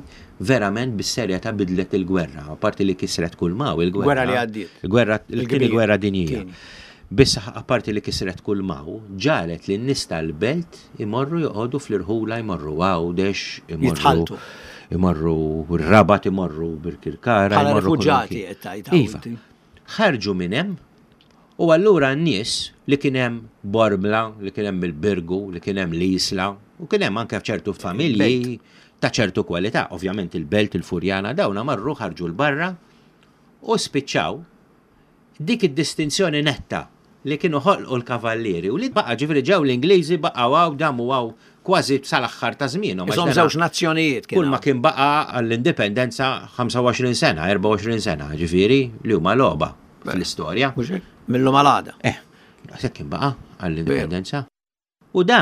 verament bis-serjetà bidlet il-gwerra, apparti li kisret kull m'hawn il-gwerra. Gwerra li għaddiet. Il-gwerra, il-tieni gwerra dinjija. Tieni. Biss apparti li kisret kull m'hawn, ġagħlet li n-nies tal-belt imorru joqogħdu fl-irħula, jmorru Għawdex, imorru Jitħaltu. Imorru Rabat, imorru Birkirkara, Bħala imorru rifuġati kullimkien. qed tgħid Iva. inti. Ħarġu minn hemm u allura n-nies li kien hemm Bormla, li kien hemm il-Birgu, li kien hemm l-Isla, u kien hemm anke ċertu familji ta' ċertu kwalità, ovvjament il-Belt, il-Furjana, dawna marru ħarġu l-barra u spiċċaw dik id-distinzjoni netta li kienu ħolqu l-kavallieri u li baqa, ġifieri ġew l-Ingliżi, baqgħu hawn, damu hawn kważi sal-aħħar ta' żmienhom. Isom żewġ nazzjonijiet Kull ma kienu. kien baqa għall-indipendenza ħamsa u għoxrin sena, erbgħa u għoxrin sena, ġifieri li huma logħba fl-istorja. Mhux hekk? Millum għal-għada. Eh, daqshekk kien baqa għall-indipendenza. U da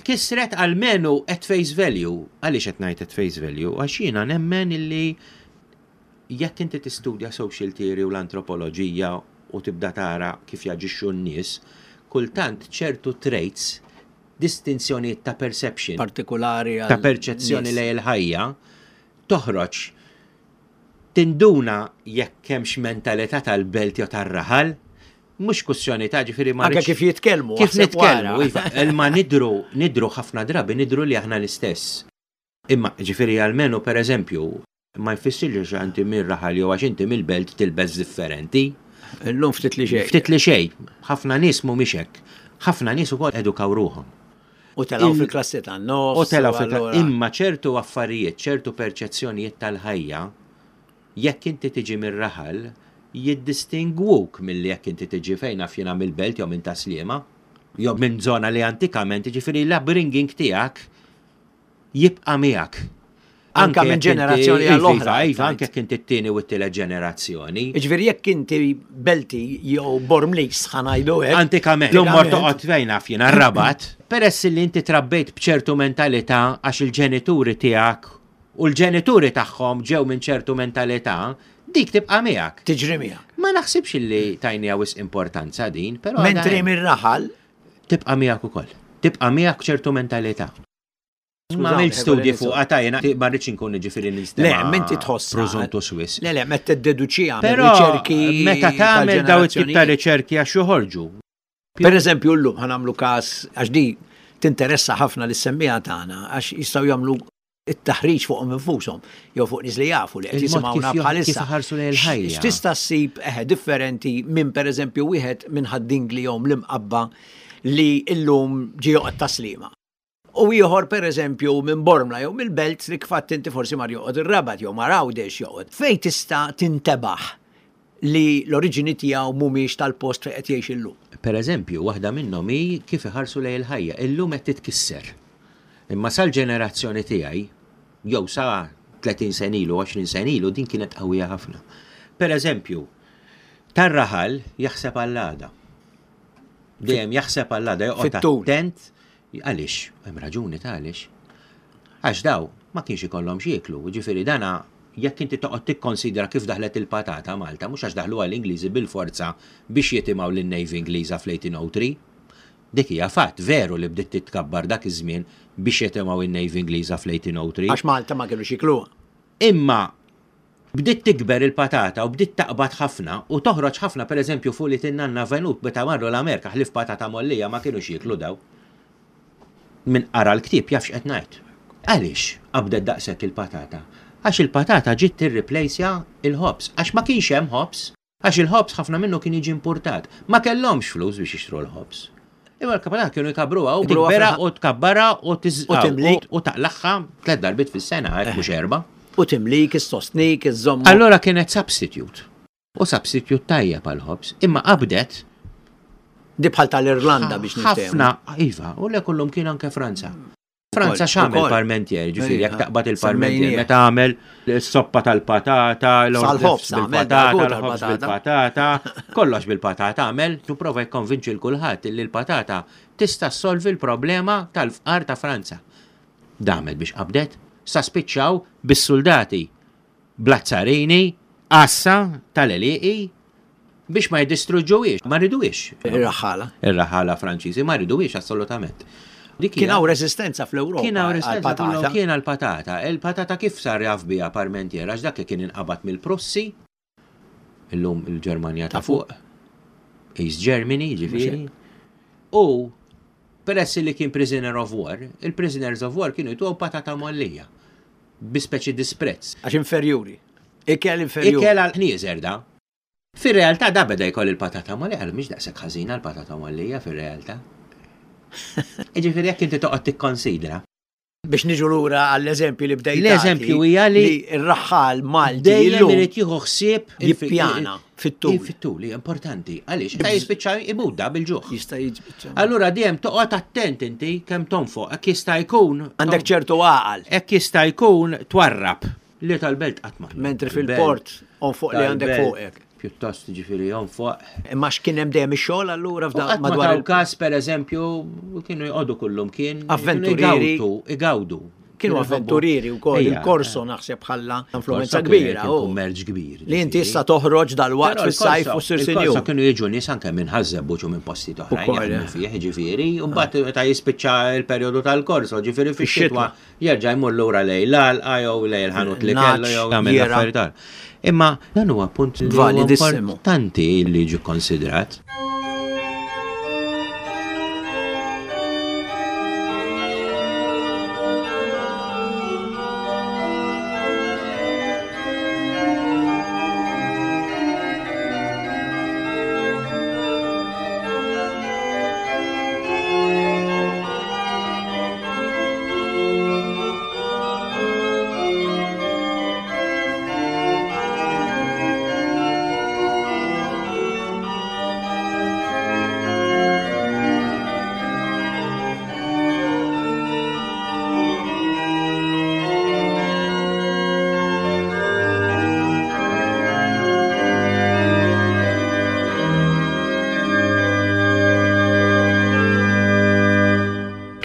kisret almenu at face value. Għaliex qed ngħid at face value? Għax jiena nemmen illi jekk inti tistudja social theory u l-antropoloġija u tibda tara kif jaġixxu n-nies, kultant ċertu traits, distinzjonijiet ta' perception, Partikolari għal ta' perċezzjoni nies. lejn il-ħajja, toħroġ tinduna jekk hemmx mentalità tal-belt jew tar-raħal, mhux kwistjoni ta' ġifieri ma Anke rridx- kif jitkellmu. Kif aħseb nitkellmu, wara. iva, imma nidru, nidru ħafna drabi nidru li aħna l-istess. Imma ġifieri almenu per eżempju, ma jfissirx għax inti mir-raħal jew għax inti mill-belt tilbes differenti. Illum ftit li xejn. Ftit li xejn, ħafna nies mhumiex hekk. Ħafna nies ukoll edukaw ruħhom. U telgħu Il- fil-klassi tan-nofs. U telgħu fil allura- Imma ċertu affarijiet, ċertu perċezzjonijiet tal-ħajja, jekk inti tiġi mir-raħal, jiddistingwuk milli jekk inti tiġi fejn naf jiena mill-belt jew minn Tas-Sliema, jew minn zona li antikament, ġifieri l-upbringing tiegħek jibqa' miegħek. Anka minn jekk inti- ġenerazzjoni Iva, għall-oħra, Iva, tgħid. anke jekk inti t-tieni u t-tielet ġenerazzjoni. Ġifieri jekk inti Belti jew Bormlis, ħa ngħidu hekk. Antikament, l mor toqgħod fejn naf jiena Rabat, peress li inti trabbejt b'ċertu mentalità għax il-ġenituri tiegħek u l-ġenituri tagħhom ġew minn ċertu mentalità, dik tibqa' miegħek. Tiġri miegħek. Ma naħsibx li tajniha wisq importanza din, però Mentri għadha hemm. mir-raħal, Tibqa' miegħek ukoll. Tibqa' miegħek ċertu mentalità. Ma Skużawni, għamilt studji ħekolli fuq għatajna, ma rridx inkun ġifieri Le, menti tħossa. Prozuntu Swiss. Le, le, meta tiddeduċiha Però riċerki meta tagħmel daw it-tip ta' tal-ġenerazzjonijiet. riċerki għax joħorġu. Per eżempju, llum ħa nagħmlu każ, għax di tinteressa ħafna lis-semmiegħa tagħna, għax jistgħu jagħmlu it-taħriġ fuqhom infushom jew fuq nies li jafu li qed Il-mod jisimgħuna kif jo- bħalissa. kif iħarsu lejn il-ħajja. X'tista' ssib eħe differenti minn pereżempju wieħed minn Ħad-Dingli jew l-Imqabba li llum ġie joqgħod Tas-Sliema. U ieħor pereżempju minn Bormla jew mill-Belt li kfatt inti forsi mar joqgħod ir-Rabat jew mar Għawdex joqgħod. Fejn tista' tintebaħ li l-oriġini tiegħu mhumiex tal-post fejn qed jgħix illum. Per eżempju, waħda minnhom hi kif iħarsu lejn il-ħajja. Illum qed titkisser. Imma sal-ġenerazzjoni tiegħi, jew sa tletin sena ilu, għoxrin sena ilu, din kienet qawwija ħafna. Per eżempju, tar-raħal jaħseb għall-għada. Dejjem jaħseb għall-għada, joqgħod Fit-tul. attent. Għaliex? Hemm raġuni ta' għaliex. Għax daw ma kienx ikollhom x'jieklu, ġifieri dana jekk inti toqgħod tikkonsidra kif daħlet il-patata Malta, mhux għax daħluha l-Ingliżi bil-forza biex jitimgħu lin-Navy Ingliża fl-eighteen oh three. Dik hija fatt veru li bdiet titkabbar dak iż-żmien biex jitimgħu in-Navy Ingliża fl-eighteen oh three. Għax Malta ma kienu jikluha. Imma Bdiet tikber il-patata u bdiet taqbad ħafna u toħroġ ħafna, pereżempju fuq li tinnanna Venut meta marru l-Amerika ħlief patata mollija ma kinux jieklu daw. Min qara l-ktieb jaf x'qed ngħid. Għaliex qabdet daqshekk il-patata? Għax il-patata ġiet tirriplejsja il-ħobż, għax ma kienx hemm ħobż, għax il-ħobż ħafna minnu kien jiġi importat. Ma kellhomx flus biex jixtru l-ħobż. Imma l-patata kienu jkabbruha u tikbera u tkabbarha u timlik u taqlagħha tliet darbiet fis-sena, hekk mhux erba'. U timlik, issostnik, iżżomm. Allora kienet substitute. U substitute tajjeb għall-ħobż, imma qabdet. Di bħal tal-Irlanda biex niftehmu. Ħafna, iva, u le kullum kien anke Franza. Franza x'għamel Parmentier, ġifieri jekk taqbad il-Parmentier meta għamel is-soppa tal-patata, l-ħobż bil-patata, l-ħobż bil-patata, kollox bil-patata għamel, tu prova jikkonvinċi l kulħadd li l-patata tista' ssolvi l-problema tal-fqar ta' Franza. Damet biex qabdet, sa spiċċaw bis-soldati bl-azzarini, għassa tal-għelieqi biex ma jiddistruġġuhiex, ma riduhiex. Ir-raħħala. Ir-raħħala Franċiżi ma riduhiex assolutament. Kien hawn reżistenza fl-Ewropa. Kien hawn reżistenza kien għall-patata. Il-patata kif sar jaf biha Parmentier għax dak li kien inqabad mill-Prussi, illum il-Ġermanja ta' fuq, East Germany, ġifieri. U peress li kien prisoner of war, il-prisoners of war kienu jtuhom patata mollija bi speċi disprezz. Għax inferjuri. Ikel inferjuri. Ikel għal ħnieżer da. Fir-realtà da beda jkoll il-patata mollija, għal mhix daqshekk ħażina l-patata mollija fir-realtà. Jiġifieri jekk inti toqgħod tikkonsidra. Biex niġu lura għall-eżempju li bdejt. L-eżempju hija li r-raħħal Malti dejjem irid jieħu ħsieb jippjana fit-tul. Fit-tul hija importanti. Għaliex ta' jispiċċa imut bil-ġuħ. Jista' jispiċċa. Allura dejjem toqgħod attent inti kemm tonfoq, hekk jista' jkun. Għandek ċertu għaqal. Hekk jista' jkun twarrab li tal-belt qatt ma. Mentri fil-port onfoq li għandek fuqek. Pjuttost ġifieri jonfoq. Imma x'kien hemm dejjem ix-xogħol allura f'dan madwar il-każ pereżempju kienu jqogħdu kullum kien avventurieri igawdu. Kienu avventurieri wkoll il-korso naħseb ħalla influenza kbira. Kummerċ kbir. Li inti issa toħroġ dal-waqt fis-sajf u ssir sinjur. Il-korso kienu jiġu nies anke minn Ħaż-Żebbuġ u minn postijiet oħrajn jaħdmu fih, ġifieri, u mbagħad meta jispiċċa l-perjodu tal-korso, ġifieri fix-xitwa jerġa' jmur lura lejn l-għalqa jew lejn il-ħanut li kellu jew jagħmel affarijiet. Imma dan huwa punt importanti li jiġi konsidrat.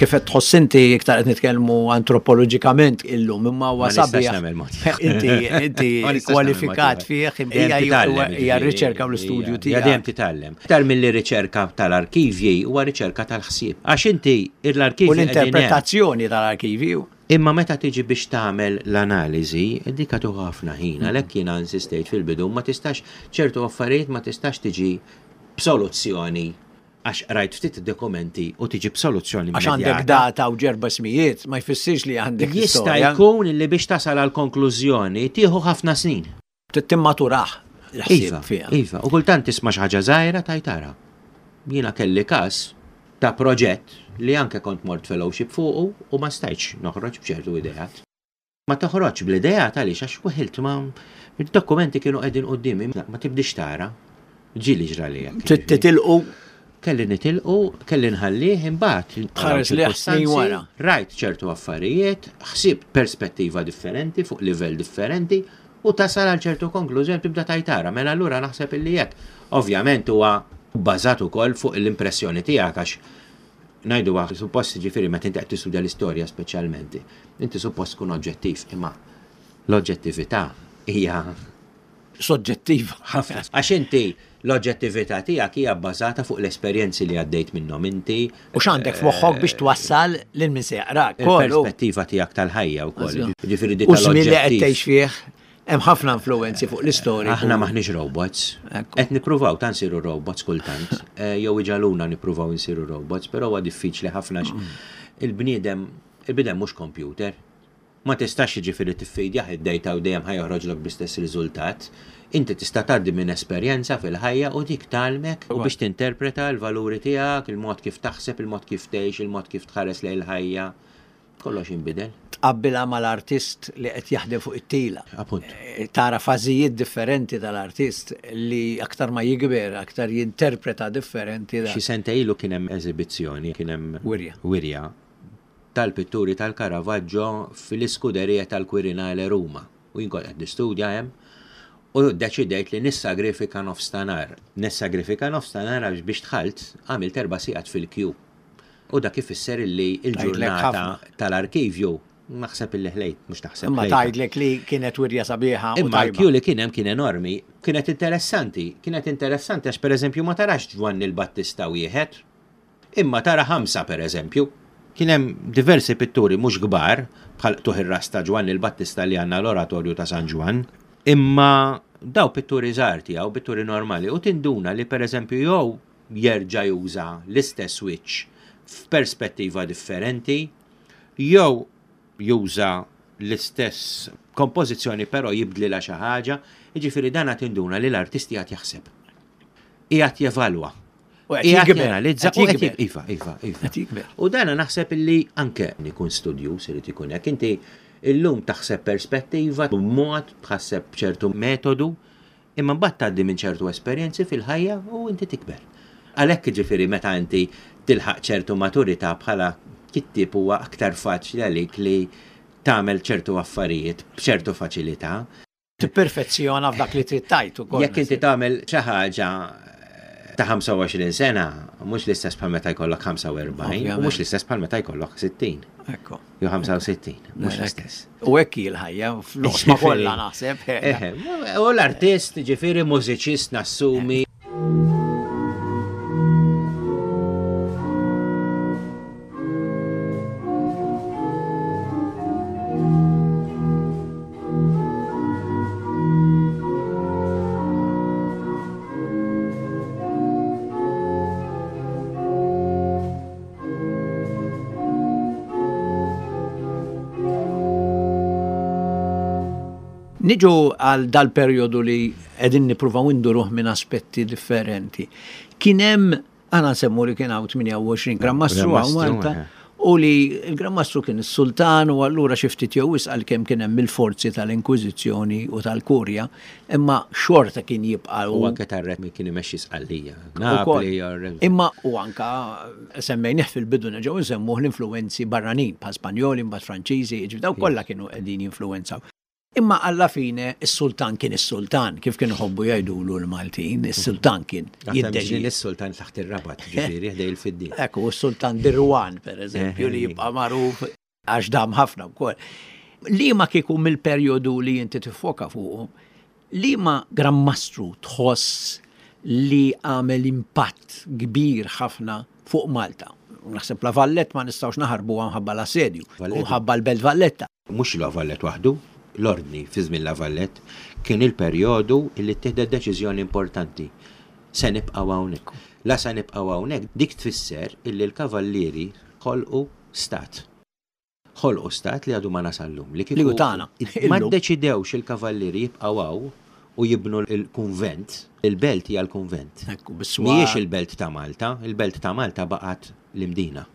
Kif qed tħoss inti iktar qed nitkellmu antropoloġikament illum imma huwa sabiħ. Inti inti kwalifikat fih hija hija r-riċerka u l-istudju tiegħek. Dejjem titgħallem. Iktar milli riċerka tal-arkivji huwa riċerka tal-ħsieb. Għax inti l-arkivji u l-interpretazzjoni tal-arkivji. Imma meta tiġi biex tagħmel l-analiżi, dik tieħu ħafna ħin, għalhekk jiena insistejt fil-bidu ma tistax ċertu affarijiet ma tistax tiġi b'soluzzjoni għax rajt ftit dokumenti u tiġi b'soluzzjoni. Għax għandek data u ġerba smijiet, ma jfissirx li għandek Jista' jkun li biex tasal għal konklużjoni tieħu ħafna snin. Timmaturaħ il-ħsieb fiha. Iva, u kultant tisma' xi ħaġa żgħira tajtara. Jiena kelli każ ta' proġett li anke kont mort fellowship fuqu u ma stajtx noħroġ b'ċertu ideat. Ma toħroġ bl-ideat għaliex għax weħilt ma id-dokumenti kienu qegħdin quddiemi, ma tibdix tara. Ġieli ġrali hekk. Titilqu Kelli nitilqu, kelli nħallih imbagħad. Tħares li snin wara. Rajt ċertu affarijiet, ħsibt perspettiva differenti fuq livell differenti u tasal għal ċertu konklużjoni tibda tajtara. Mela allura naħseb illi hekk. Ovvjament huwa bbażat ukoll fuq l-impressjoni tiegħek għax ngħidu suppost ġifieri meta inti qed tistudja l-istorja speċjalment, inti suppost tkun oġġettiv, imma l-oġġettività hija soġġettiva. Ħafna. Għax inti l-oġġettività tiegħek hija bbażata fuq l-esperjenzi li għaddejt minnhom inti. U x'għandek f'moħħok biex twassal lil min se jaqrak. Il-perspettiva tiegħek tal-ħajja wkoll. Ġifieri dik tal-oġġettiv. U żmien li qed tgħix fih Hemm ħafna influenzi fuq l-istorja. Aħna maħniex robots. Qed nippruvaw ta' nsiru robots kultant. Eh, jew iġaluna nippruvaw nsiru robots, però huwa diffiċli ħafna mm. il-bniedem il-bniedem mhux computer. Ma tistax jiġifieri tiffidjah id-data u dejjem ħa joħroġlok bl-istess riżultat. Inti tista' tgħaddi minn esperjenza fil-ħajja u dik tgħallmek u biex tinterpreta l-valuri tiegħek, il-mod kif taħseb, il-mod kif tgħix, il-mod kif tħares lejn il-ħajja. Kollox inbidel. Tqabbilha mal-artist li qed jaħdem fuq it-tila. Appunt. Eh, tara fażijiet differenti tal-artist li aktar ma jikber, aktar jinterpreta differenti. Xi sentejn ilu kien hemm eżibizzjoni, kien hemm wirja. Wirja tal-pitturi tal-Caravaggio fil-iskuderija tal-Quirinale Ruma. U jien kont qed nistudja hemm u deċidejt li nissagrifika nofs ta' nhar. Nissagrifika nofs ta' nhar għax biex dħalt għamilt erba' sigħat fil-kju. U dak ifisser illi il-ġurnata tal-arkivju naħseb illi ħlejt, mhux taħseb. Imma tgħidlek li kienet wirja sabiħa. Imma l-kju li kien hemm kien enormi, kienet interessanti, kienet interessanti għax pereżempju ma tarax Ġwanni l-Battista wieħed, imma tara ħamsa pereżempju. Kien hemm diversi pitturi mhux kbar bħal qtugħ ir-ras ta' Ġwanni l-Battista li għandna l-Oratorju ta' San Ġwann, imma daw pitturi żgħar tiegħu, pitturi normali, u tinduna li pereżempju jew jerġa' juża l-istess wiċċ f'perspettiva differenti, jew juża l-istess kompożizzjoni però jibdlilha xi ħaġa, jiġifieri dan qed tinduna li l-artist qiegħed jaħseb. Qiegħed jevalwa. Qiegħed janalizza u qed iva, iva, iva. U dan naħseb illi anke ikun studjuż irid ikun hekk. Inti illum taħseb perspettiva b'mod, tħasseb b'ċertu metodu, imma mbagħad tgħaddi minn ċertu esperjenzi fil-ħajja u inti tikber. Għalhekk jiġifieri meta inti tilħaq ċertu maturità bħala kittieb huwa aktar faċli għalik li tagħmel ċertu affarijiet b'ċertu faċilità. Tipperfezzjona f'dak li trid tgħid ukoll. Jekk inti tagħmel xi ħaġa ta' ħamsa u għoxrin sena, mhux l-istess bħal meta jkollok ħamsa u erbgħin, u mhux l-istess bħal meta jkollok sittin. Ekku. Jew ħamsa u sittin, mhux l-istess. U hekk hi l-ħajja, fl-oqsma kollha naħseb. Eħe, u l-artist, ġifieri mużiċist nassumi. Niġu għal dal-perjodu li qegħdin nippruvaw induruh minn aspetti differenti. Kien hemm, aħna nsemmu li kien hawn tmienja u għoxrin Gran Mastru hawn Malta, u li l-Gran Mastru kien is-sultan u allura xi ftit jew wisq għalkemm kien hemm il-forzi tal-Inkwiżizzjoni u tal-Kurja, imma xorta kien jibqa' U anke tar-re kien imexxi Sqallija, Napli, jew Imma u anka semmejnih fil-bidu nerġgħu nsemmuh l-influenzi barranin, bħal Spanjoli, mbagħad Franċiżi, jiġifieri daw kollha kienu qegħdin jinfluwenzaw. Imma alla fine is-sultan kien is-sultan, kif kienu ħobbu jgħidulu l-Maltin, is-sultan kien Għatem jiddeċidi. ġin is-sultan taħt ir-rabat, ġifieri, ħdej il-fiddien. Ekku, s-sultan Dirwan, per eżempju, li jibqa' magħruf għax dam ħafna wkoll. Liema kieku mill-perjodu li inti tiffoka fuqu, liema Gran Mastru tħoss li għamel impatt kbir ħafna fuq Malta? Naħseb La Vallette ma nistgħux naħarbu minħabba l-assedju, Valletta. u ħabba l-Belt Valletta. Mhux La Vallette waħdu, l-ordni fi żmien La Vallette kien il-perjodu li ttieħdet deċiżjoni importanti. Se nibqgħu hawnhekk. La se nibqgħu hawnhekk dik tfisser illi l-kavallieri ħolqu stat. Ħolqu stat li għadu ma nasallum. Li kieku Li hu tagħna. ma Illum. ddeċidewx il-kavallieri jibqgħu hawn u jibnu l-kunvent. Il-belt hija l-kunvent. Ekku, bis-swar. Mhijiex il-belt ta' Malta, il-belt ta' Malta baqgħet l-Imdina.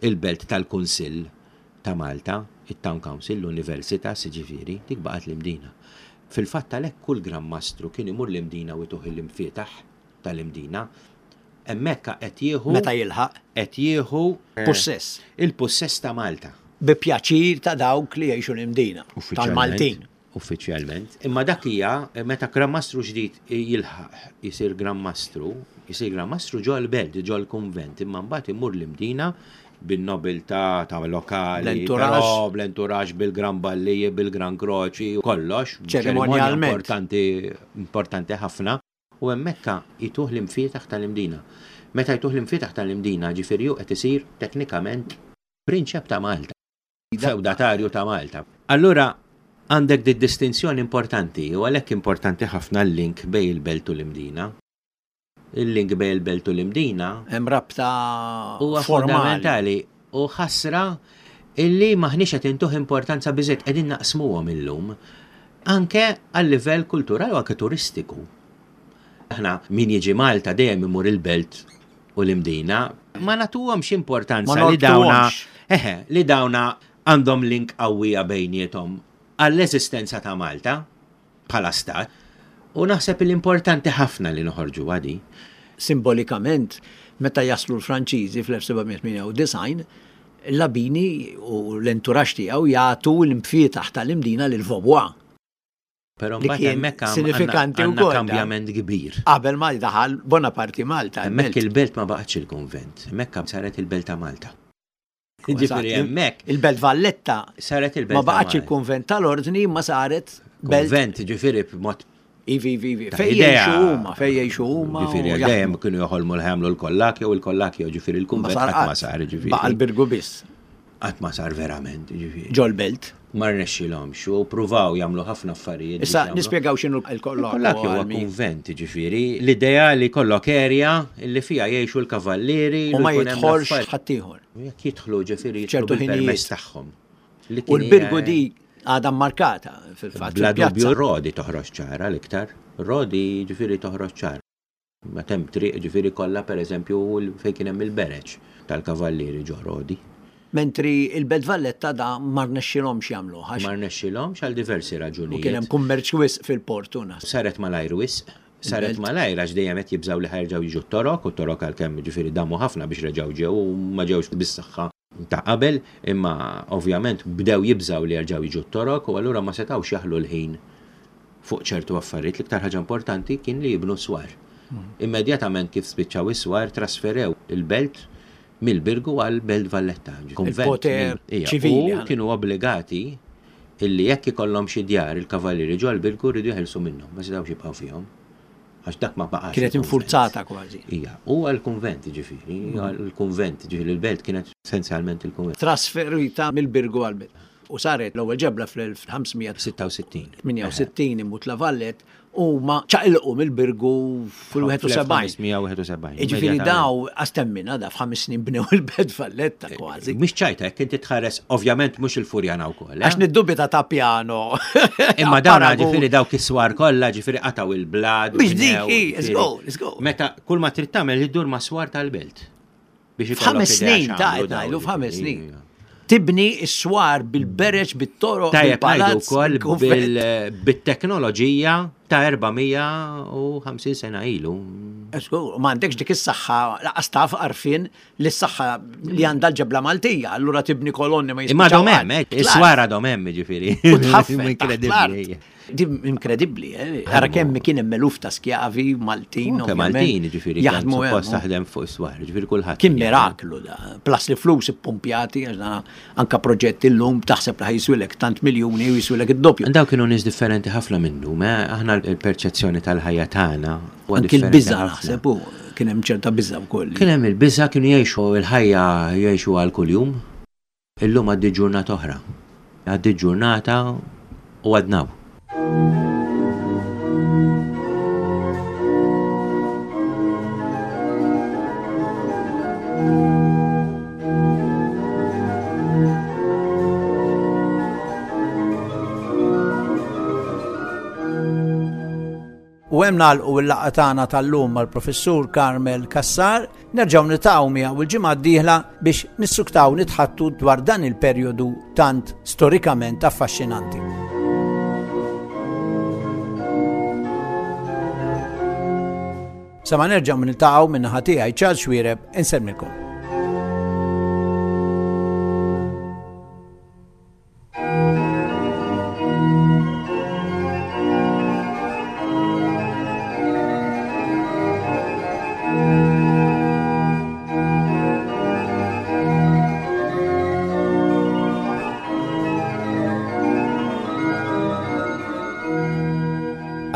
Il-belt tal-Kunsill ta' Malta, il-Town Council, l-Università, siġifieri, dik baqgħet l-Imdina. Fil-fatt għalhekk kull Gran Mastru kien imur l-Imdina u jtuh l-imfietaħ tal-Imdina. Hemmhekk qed jieħu Meta jilħaq? Qed jieħu Pussess. Il-pussess ta' Malta. Bi pjaċir ta' dawk li jgħixu l-Imdina, Uffiċjalment. tal-Maltin. Uffiċjalment. Imma dak hija meta Gran Mastru ġdid jilħaq isir Gran Mastru, isir Gran Mastru ġo l-belt, ġo l-kunvent, imma mbagħad imur l-Imdina bin-nobiltà ta' lokali, L-entourage. però bl-entourage, bil-Gran Balliji, bil-Gran Kroċi, kollox. Ċerimonjalment. Ċerimonja importanti, importanti ħafna. U hemmhekk jituh l-imfietaħ tal-Imdina. Meta jtuh l-imfietaħ tal-Imdina, ġifieri hu qed isir teknikament prinċep ta' Malta, feudatarju ta' Malta. Allura, Għandek di distinzjoni importanti u għalhekk importanti ħafna l-link bejn il-belt u l-Imdina. Il-link bejn il-belt u l-Imdina hemm rabta huwa formali. Fundamentali u ħasra illi maħniex qed intuh importanza biżejt, qegħdin naqsmuhom illum anke għal livell kulturali u anke turistiku. Aħna min jiġi Malta dejjem imur il-belt u l-Imdina, ma nagħtuhomx importanza Ma li dawna norbtuhomx. eħe, li dawna għandhom link qawwija bejniethom għall-eżistenza ta' Malta bħala stat, u naħseb l-importanti ħafna li noħorġu għadi. Simbolikament, meta jaslu l-Franċiżi fl-elf seba' mija tmienja u disgħin, Labini u l-entourage tiegħu jagħtu l-imfietaħ tal-Imdina lil Vaubois. Però Li mbagħad kien hemmhekk għam- sinifikanti għandna wkoll, kambjament kbir. Qabel ma daħal Bonaparte Malta. Hemmhekk il-belt. il-belt ma baqgħetx il-konvent, hemmhekk saret il-belt ta' Malta. Ġifieri hemmhekk Il-Belt Valletta saret il-belt ma ta' baqgħetx Malta. il-konvent tal-ordni, ma saret belt. Konvent, ġifieri b'mod Ivi, ivi, ivi. ta' Fej idea. jgħixu huma, fej jgħixu huma. u Ġifieri jaħdmu. dejjem kienu joħolmu l-ħamlu l-kollakjo u l-kollakjo, ġifieri Ma il-kunvent sar qatt ma sar, ġifieri. Baqa l-Birgu biss, Qatt ma sar verament, ġifieri. Ġol-belt. Ma rnexxilhomx u pruvaw jagħmlu ħafna affarijiet. Issa biex jagħmlu. nispjegaw x'inhu l-kollokju. Il-kollakju huwa għal min- kunvent, ġifieri, l-idea li kollok area li fiha jgħixu l-kavallieri U ma li jkun hemm jidħolx l-affarijiet. ħaddieħor. Jekk jidħlu, ġifieri, jidħlu ċertu bil-permess ħinijiet. tagħhom. Li U kien l-Birgu hija- di għadha markata fil-fatt. Bla fil-pjazza. dubju Rodi toħroġ ċara l-iktar. Rodi ġifieri toħroġ ċara. Ma hemm triq ġifieri kollha, pereżempju, fejn kien hemm il-bereġ tal-kavallieri ġo Rodi. Mentri il-Belt Valletta da ma rnexxilhomx jagħmlu għax Ma rnexxilhomx għal diversi u kien hemm raġunijiet. kummerċ wisq fil-portu nas. Saret malajr wisq. Saret Il-belt. malajr għax dejjem qed jibżgħu li ħa jerġgħu jiġu t-Torok, u t-Torok għalkemm ġifieri damu ħafna biex reġgħu ġew u ma ġewx bis-saħħa ta' qabel, imma ovvjament bdew jibżgħu li jerġgħu jiġu t-Torok u allura ma setgħux jaħlu l-ħin fuq ċertu affarijiet. L-iktar ħaġa importanti kien li jibnu swar. Immedjatament kif spiċċaw is-swar, trasferew il-belt mill-Birgu għal Belt Valletta. Konvent Il-poter mill- Ija, ċivili, U għal. kienu obbligati illi jekk ikollhom xi djar il-kavallieri ġo l-Birgu rridu jeħilsu minnhom, ma setgħux jibqgħu fihom. Għax dak ma baqax Kienet il-kunvent. infurzata kważi. Ija, u għal-kunvent ġifieri, għal-kunvent ġifieri il-belt kienet essenzjalment il-kunvent. Trasferita mill-Birgu għal-Belt. U saret l-ewwel ġebla fl-elf ħames mija tmienja u sittin sitta u sittin. imut La Valette u ma ċaqilqu mill-Birgu fil-wieħed u sebgħin. fl-elf ħames mija wieħed u sebgħin. Ġifieri daw għastemmina da f'ħames snin bnew il-Belt Valletta kważi. Mhix ċajta, jekk inti tħares, ovvjament mhux il-Furjana wkoll. eh? Għax niddubita ta' piano. Imma dawn Paragun. ġifieri dawk is-swar kollha, ġifieri qataw il-blad. Biex dik, bnew, i, let's ġifieri. go, let's go. Meta kull ma trid tagħmel iddur ma' swar tal-belt. Biex ikollok F'ħames idea snin, ta' x'għamlu qed dawn, ngħidu f'ħames ġifieri. snin. Tibni s-swar bil-bereġ, bit-toroq, Tajjeb ngħidu bil-palazz, wkoll bil-kunvent. bil- bit-teknoloġija ta' erba' mija u ħamsin sena ilu. Żgur, ma għandekx dik is-saħħa, laqas taf għarfien li s-saħħa li għandha l-ġebla Maltija, allura tibni kolonni ma Imma jispiċċaw għadhom hemm, qatt. eh, is-swar għadhom hemm, ġifieri. U tħaffef taħt Inkredibbli. l-art. Di inkredibbli, eh? Ara kemm kien hemm eluf ta' skjavi Maltin, Anke ovvjament, Maltin, ġifieri, kien jaħdmu hemm. suppost taħdem fuq is-swar, ġifieri kulħadd. Kien miraklu da. Plus li flus ippumpjati, għax dan anka proġett illum taħseb li ħa jiswilek tant miljuni u jiswilek id-doppju. Daw kienu nies differenti ħafna minnu, ma aħna l-perċezzjoni tal-ħajja tagħna huwa Anki differenti l-biża' ħafna. naħseb u kien hemm ċerta biża' wkoll. Kien hemm il-biża', kienu jgħixu il-ħajja, jgħixu għal kuljum. Illum għaddi ġurnata oħra. Għaddi ġurnata u għadnaw. U hemm nagħlqu l-laqgħa tagħna tal-lum mal-Professur Carmel Cassar, nerġgħu niltaqgħu miegħu il-ġimgħa d-dieħla biex nissuktaw nitħattu dwar dan il-perjodu tant storikament affaxxinanti. Sa ma nerġgħu niltaqgħu, min-naħa tiegħi Charles Xuereb, insellmilkom.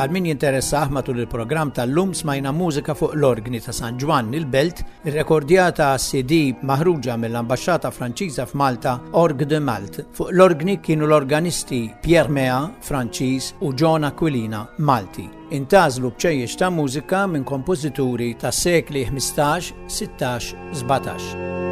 Għal min jinteressah, matul il-programm tal-lum smajna mużika fuq l-orgni ta' San Ġwann il-Belt, irrekordjata C D maħruġa mill-Ambaxxata Franċiża f'Malta, Orgue de Malte. Fuq l-orgni kienu l-organisti Pierre Mea, Franċiż, u John Aquilina, Malti. Intgħażlu bċejjeċ ta' mużika minn kompożituri ta' sekli ħmistax, sittax, sbatax.